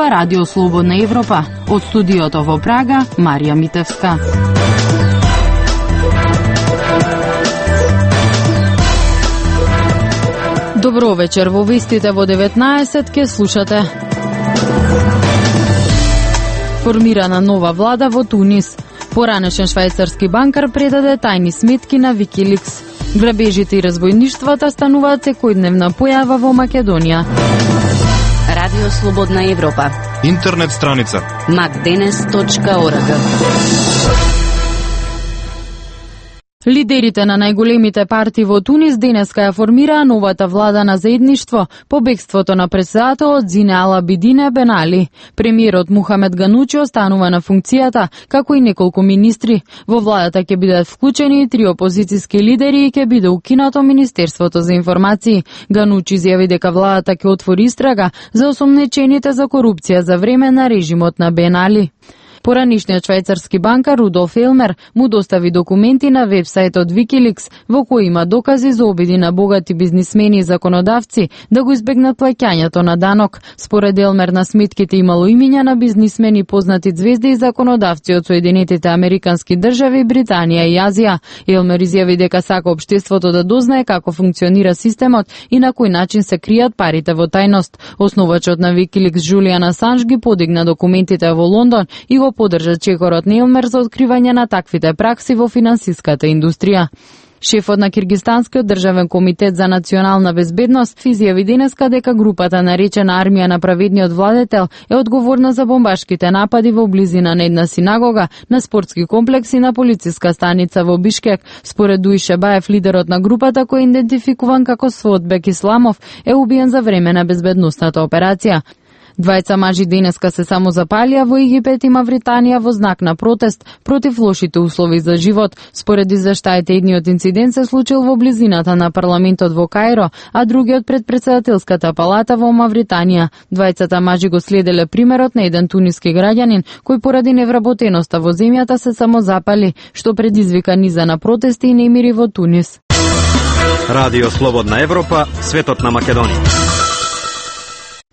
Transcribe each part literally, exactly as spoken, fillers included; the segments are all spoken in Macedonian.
Ова Радио Слободна Европа. Од студиото во Прага, Марија Митевска. Добро вечер, во вестите во деветнаесет ке слушате. Формирана нова влада во Тунис. Поранешен швајцарски банкар предаде тајни сметки на Викиликс. Грабежите и разбојништвата стануваат секојдневна појава во Македонија. Радио Слободна Европа. Интернет страница макденес точка орг. Лидерите на најголемите партии во Тунис денеска ја формираа новата влада на заедништво по бегството на претседателот Зине Ал Абидине Бен Али. Премиерот Мухамед Ганучи останува на функцијата, како и неколку министри. Во владата ќе бидат вклучени и три опозицијски лидери и ќе биде укинато Министерството за информации. Ганучи изјави дека владата ќе отвори истрага за осомнечените за корупција за време на режимот на Бен Али. Поранишниот швајцарски банкар Рудолф Елмер му достави документи на вебсајтот Викиликс во кои има докази за обиди на богати бизнисмени и законодавци да го избегнат плаќањето на данок. Според Елмер на сметките имало имиња на бизнисмени, познати звезди и законодавци од Соединетите Американски држави, Британија и Азија. Елмер изјави дека сака општеството да дознае како функционира системот и на кој начин се кријат парите во тајност. Основачот на Викиликс Џулијан Асанж ги подигна документите во Лондон и го поддржа чекорот на Елмер за откривање на таквите пракси во финансиската индустрија. Шефот на Киргистанскиот државен комитет за национална безбедност изјави денеска дека групата наречена Армија на праведниот владетел е одговорна за бомбашките напади во близина на една синагога, на спортски комплекс и на полициска станица во Бишкек. Според Дуише Баев, лидерот на групата, кој е идентификуван како Свотбек Исламов, е убиен за време на безбедносната операција. Двајца мажи денеска се самозапалија во Египет и Мавританија во знак на протест против лошите услови за живот. Според извештаите, едниот инцидент се случил во близината на парламентот во Каиро, а другиот пред претседателската палата во Мавританија. Двајцата мажи го следеле примерот на еден туниски граѓанин кој поради невработеноста во земјата се самозапали, што предизвика низа на протести и немири во Тунис. Радио Слободна Европа, светот на Македонија.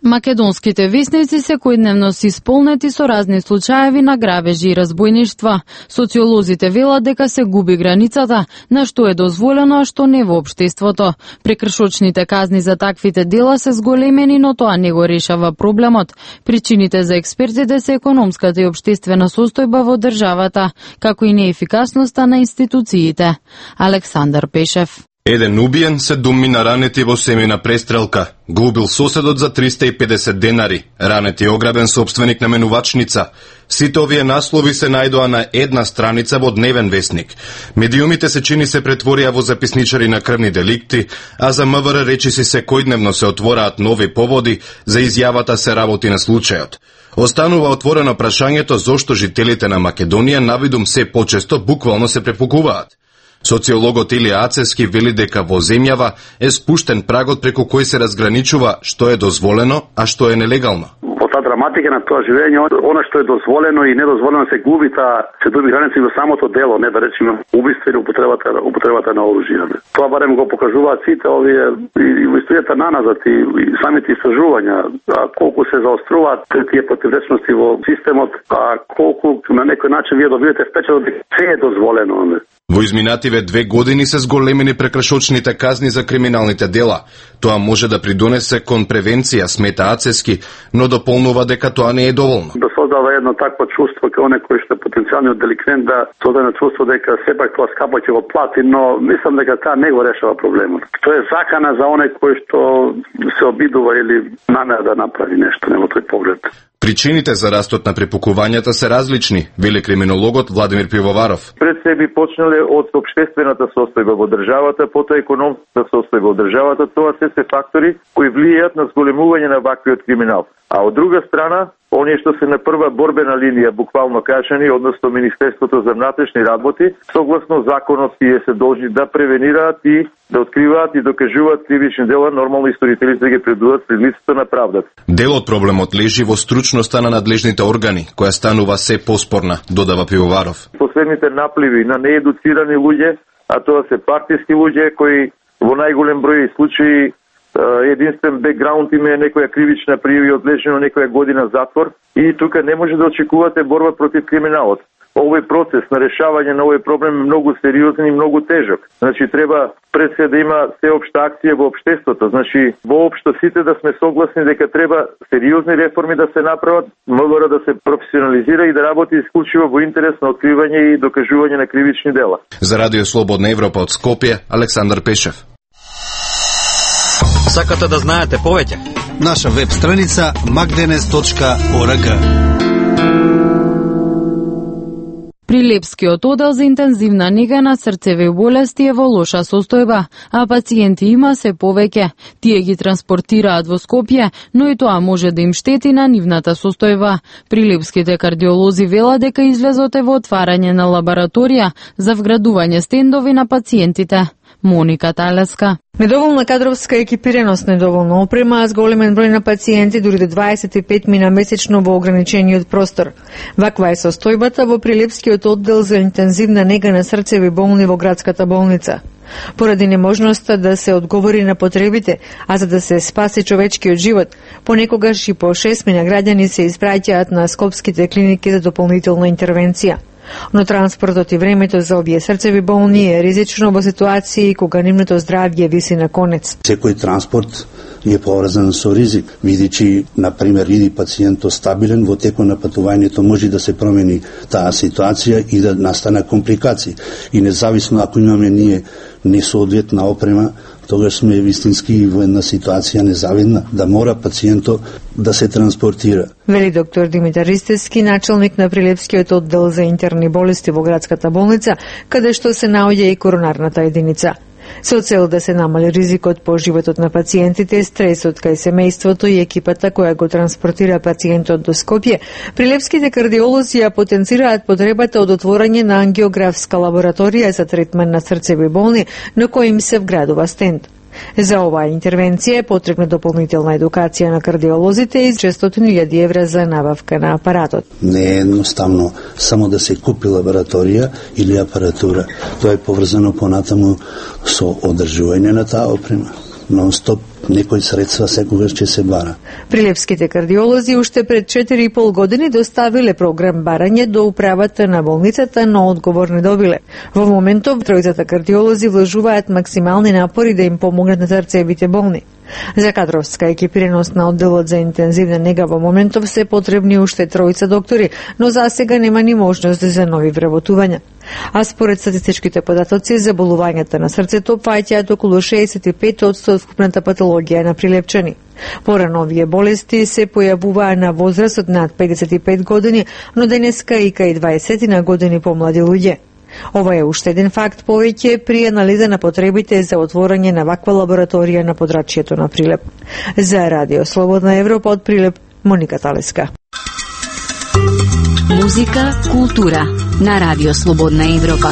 Македонските весници секојдневно се исполнети со разни случаеви на грабежи и разбојништва. Социолозите велат дека се губи границата на што е дозволено, а што не во општеството. Прекршочните казни за таквите дела се зголемени, но тоа не го решава проблемот. Причините за експертите се економската и општествена состојба во државата, како и неефикасноста на институциите. Александар Пешев. Еден убиен, седум мина ранети во семејна престрелка. Го убил соседот за триста и педесет денари. Ранети ограбен собственик на менувачница. Сите овие наслови се најдоа на една страница во Дневен вестник. Медиумите се чини се претворија во записничари на крвни деликти, а за МВР речиси секојдневно се отвораат нови поводи за изјавата се работи на случајот. Останува отворено прашањето зошто жителите на Македонија навидум се почесто буквално се препукуваат. Социологот Илија Ацевски вели дека во земјава е спуштен прагот преку кој се разграничува што е дозволено, а што е нелегално. По таа драматика на тоа живење, она што е дозволено и недозволено се губи, таа се дуби граници во самото дело, не да речеме убиство или употребата, употребата на оружје. Тоа барем го покажуваат сите овие и во историјата наназад и, и самите истражувања, а колку се заоструваат тие противречности во системот, а колку на некој начин вие добивате впечаток дека се е дозволено. Во изминативе две години се зголемени прекршочните казни за криминалните дела. Тоа може да придонесе кон превенција, смета Ацевски, но дополнува дека тоа не е доволно. Да создава едно такво чувство кај оне кој што е потенцијалниот деликвент, да создава чувство дека сепак тоа скапа ќе го плати, но мислам дека таа не го решава проблемот. Тоа е закана за оне кој што се обидува или намера да направи нешто, не во тој поглед. Причините за растот на препукувањата се различни, вели криминологот Владимир Пивоваров. Пред се би почнале од општествената состојба во државата, потоа економската состојба во државата, тоа се се фактори кои влијаат на зголемување на ваквиот криминал. А од друга страна, оние што се на прва борбена линија, буквално кажани, односно Министерството за внатрешни работи, согласно законот тие се должни да превенираат и да откриваат и докажуваат кривични дела, нормално исторителите да ги предадат пред лицето на правдата. Дел од проблемот лежи во стручноста на надлежните органи, која станува се поспорна, додава Пивоваров. Последните напливи на неедуцирани луѓе, а тоа се партиски луѓе кои во најголем број случаи единствен бекграунд има некоја кривична пријава и одлежено некоја година затвор и тука не може да очекувате борба против криминалот. Овој процес на решавање на овој проблем е многу сериозен и многу тежок. Значи треба пред се да има сеопшта акција во општеството. Значи воопшто сите да сме согласни дека треба сериозни реформи да се направат, МВР да се професионализира и да работи исклучиво во интерес на откривање и докажување на кривични дела. За Радио Слободна Европа од Скопје, Александар Пешев. Сакате да знаете повеќе? Наша веб страница макденес точка орг. Прилепскиот одел за интензивна нега на срцеви болести е во лоша состојба, а пациенти има се повеќе. Тие ги транспортираат во Скопје, но и тоа може да им штети на нивната состојба. Прилепските кардиолози велат дека излезот е во отварање на лабораторија за вградување стендови на пациентите. Моника Талеска. Недоволна кадровска екипираност, недоволна опрема, а с големен број на пациенти дури до дваесет и пет мина месечно во ограничениот простор. Ваква е состојбата во Прилепскиот оддел за интензивна нега на срцеви болни во градската болница. Поради неможноста да се одговори на потребите, а за да се спаси човечкиот живот, понекогаш и по шест мина граѓани се испраќаат на скопските клиники за дополнителна интервенција. Но транспортот и времето за овие срцеви болни е ризично во ситуации кога нивното здравје виси на конец. Секој транспорт е поврзан со ризик, видичи, например, иди пациентот стабилен, во текот на патувањето може да се промени таа ситуација и да настане компликации. И независно ако имаме ние несоодветна опрема, тогаш сме вистински во една ситуација незавидна, да мора пациентот да се транспортира. Вели доктор Димитар Ристевски, начелник на Прилепскиот оддел за интерни болести во градската болница, каде што се наоѓа и коронарната единица. Со цел да се намали ризикот по животот на пациентите, стресот кај семејството и екипата која го транспортира пациентот до Скопје, прилепските кардиолози ја потенцираат потребата од отворање на ангиографска лабораторија за третман на срцеви болни, на кој им се вградува стенд. За оваа интервенција е потребна дополнителна едукација на кардиолозите и шестстотини илјади евра за набавка на апаратот. Не е едноставно само да се купи лабораторија или апаратура. Тоа е поврзано понатаму со одржување на таа опрема. Нон-стоп некои средства секогаш ќе се бара. Прилепските кардиолози уште пред четири и пол години доставиле програм барање до управата на болницата, но одговор не добиле. Во моментов тројцата кардиолози вложуваат максимални напори да им помогнат на срцевите болни. За кадровска екипираност на одделот за интензивна нега во моментов се потребни уште тројца доктори, но за сега нема ни можност за нови вработувања. А според статистичките податоци, заболувањата на срцето фаќаат околу шеесет и пет одсто од вкупната патологија на прилепчани. Порано овие болести се појавуваа на возраст од над педесет и пет години, но денеска и кај дваесет на години помлади луѓе. Ова е уште еден факт повеќе при анализа на потребите за отворање на ваква лабораторија на подрачјето на Прилеп. За Радио Слободна Европа од Прилеп, Моника Талеска. Музика, култура на Радио Слободна Европа.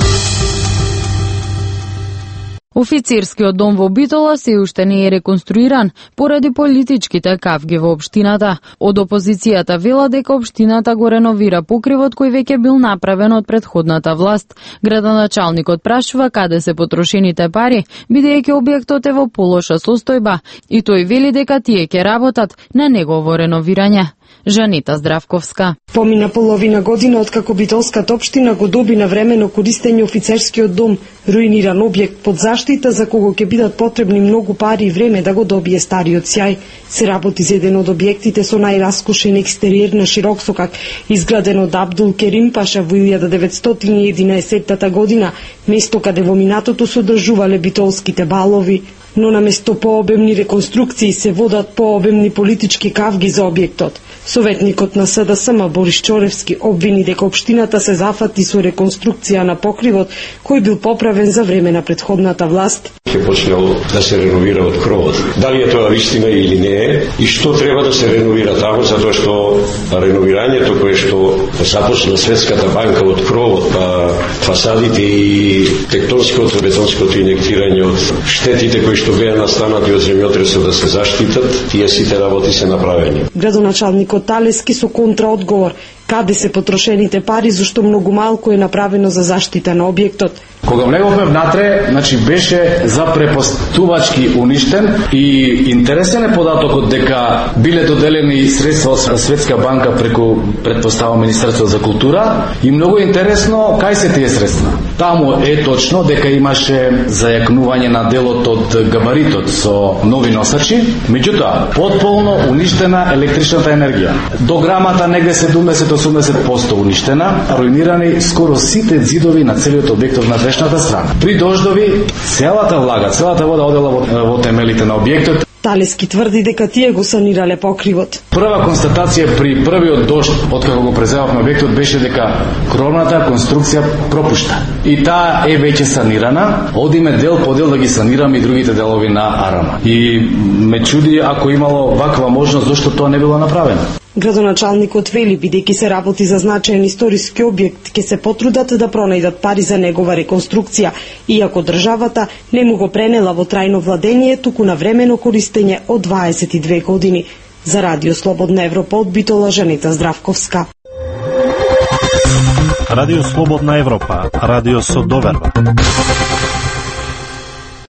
Офицерскиот дом во Битола се уште не е реконструиран поради политичките кавги во општината. Од опозицијата вела дека општината го реновира покривот кој веќе бил направен од претходната власт. Градоначалникот прашува каде се потрошените пари, бидејќи објектот е во полоша состојба и тој вели дека тие ќе работат на негово реновирање. Жанита Здравковска. Помина половина година откако Битолската општина го доби на времено користење офицерскиот дом, руиниран објект под заштита за кого ќе бидат потребни многу пари и време да го добие стариот сјај. Се работи за еден од објектите со најраскошен екстериер на широк сокак, изграден од Абдул Керим Паша во илјада деветстотини и единаесетта година, место каде во минатото се одржувале битолските балови. Но наместо пообемни реконструкции се водат пообемни политички кавги за објектот. Советникот на СДСМ Борис Чоревски обвини дека општината се зафати со реконструкција на покривот кој бил поправен за време на претходната власт. Ќе почнело да се реновира од кровот. Дали е тоа вистина или не е и што треба да се реновира таму, затоа што реновирањето кое што започна Светската банка од кровот, па фасадите и тектонското, бетонското инектирање од штетите кои што беа настанати од земјотресот да се заштитат, тие сите работи се направени. Градоначалникот Талески со контраодговор Каде се потрошените пари, зашто многу малку е направено за заштита на објектот? Кога влеговме внатре, значи беше за препостувачки уништен и интересен е податокот дека биле доделени средства од Светска банка преку претпостава Министерство за култура и многу интересно кај се тие средства. Таму е точно дека имаше зајакнување на делот од габаритот со нови носачи, меѓутоа потполно уништена електричната енергија. До грамата негде седумдесет до осумдесет проценти уништена, руинирани скоро сите зидови на целиот објект на дешната страна. При дождови целата влага, целата вода одела во, во темелите на објектот. Талески тврди дека тие го санирале покривот. Прва констатација при првиот дожд, откако го преземавме објектот, беше дека кровната конструкција пропушта. И таа е веќе санирана, одиме дел по дел да ги санираме и другите делови на арама. И ме чуди ако имало ваква можност, зашто тоа не било направено. Градоначалникот вели, бидејќи се работи за значаен историски објект, ќе се потрудат да пронајдат пари за негова реконструкција, иако државата не му го пренела во трајно владење, туку на времено користење од дваесет и две години. За Радио Слободна Европа од Битола, Жанета Здравковска. Радио Слободна Европа, радио со доверба.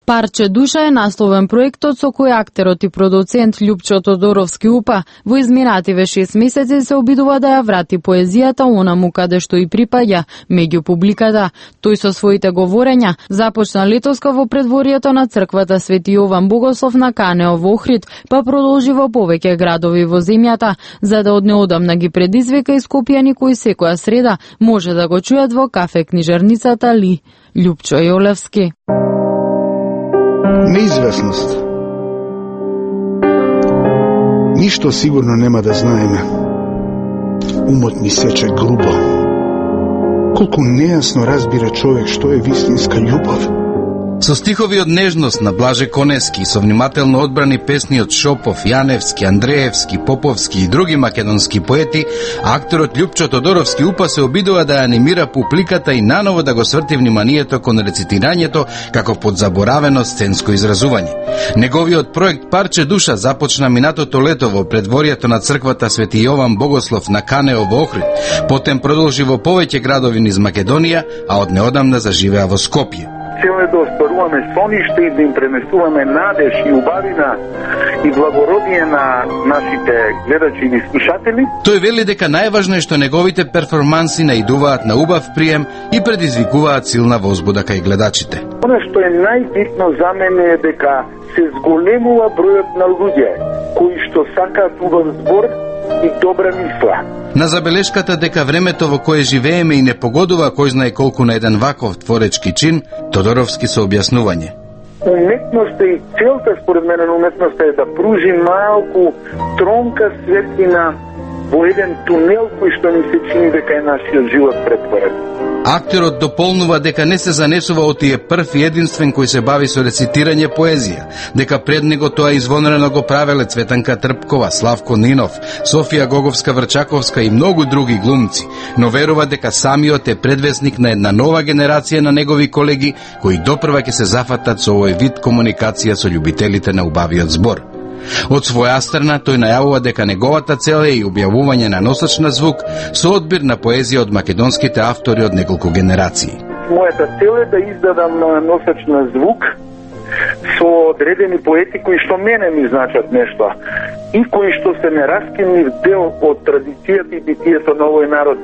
Парче душа е насловен проектот со кој актерот и продуцент Љупчо Тодоровски Упа во изминативе шест месеци се обидува да ја врати поезијата онаму каде што и припаѓа, меѓу публиката. Тој со своите говорења започна летоска во предворието на црквата Свети Јован Богослов на Канео во Охрид, па продолжи во повеќе градови во земјата, за да од неодамна ги предизвика и скопјани кои секоја среда може да го чујат во кафе книжарницата Ли. Љупчо Јолевски. Неизвестност. Ништо сигурно нема да знаеме. Умот ми сече грубо. Колку нејасно разбира човек што е вистинска љубов. Со стихови од нежност на Блаже Конески, со внимателно одбрани песни од Шопов, Јаневски, Андреевски, Поповски и други македонски поети, акторот Љупчо Тодоровски Упа се обидува да анимира публиката и наново да го сврти вниманието кон рецитирањето како подзаборавено сценско изразување. Неговиот проект Парче душа започна минатото лето во предворието на црквата Свети Јован Богослов на Канео во Охрид, потем продолжи во повеќе градови низ Македонија, а од неодамна заживеа во Скопје. Цело е да оспаруваме сониште и да им пренесуваме надеж и убавина и благородие на нашите гледачи и слушатели. Тој вели дека најважно е што неговите перформанси наидуваат на убав прием и предизвикуваат силна возбуда кај гледачите. Оно што е најбитно за мене е дека се зголемува бројот на луѓе кои што сакаат убав збор и добра мисла. На забелешката дека времето во кое живееме и не погодува кој знае колку на еден ваков творечки чин, Тодоровски со објаснување. Уметноста и целта според мене на уметноста е да пружи малку тронка светлина во еден тунел кој што ни се чини дека е нашиот живот претворен. Актерот дополнува дека не се занесува од тие прв и единствен кој се бави со рецитирање поезија, дека пред него тоа извонредно го правеле Цветанка Трпкова, Славко Нинов, Софија Гоговска-Врчаковска и многу други глумци, но верува дека самиот е предвесник на една нова генерација на негови колеги кои допрва ќе се зафатат со овој вид комуникација со љубителите на убавиот збор. Од своја страна, тој најавува дека неговата цел е и објавување на носач на звук со одбир на поезија од македонските автори од неколку генерации. Мојата цел е да издадам носач на звук со одредени поети кои што мене ми значат нешто и кои што се нераскинлив дел од традицијата и битието на овој народ.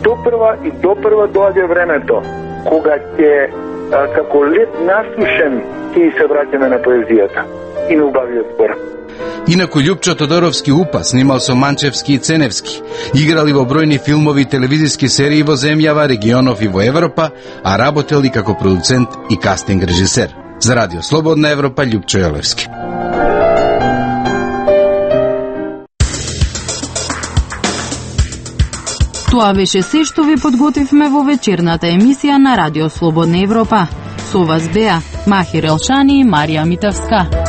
Допрва и допрва доаѓа времето кога ќе како лед насушен ќе се враќаме на поезијата и на убавиот збор. Инаку Љупчо Тодоровски Упа снимал со Манчевски и Ценевски, играли во бројни филмови и телевизиски серии во земјава, регионов и во Европа, а работел и како продуцент и кастинг режисер. За Радио Слободна Европа, Љупчо Јолевски. Тоа беше се што ви подготвивме во вечерната емисија на Радио Слободна Европа. Со вас беа Махир Елшани и Марија Митевска.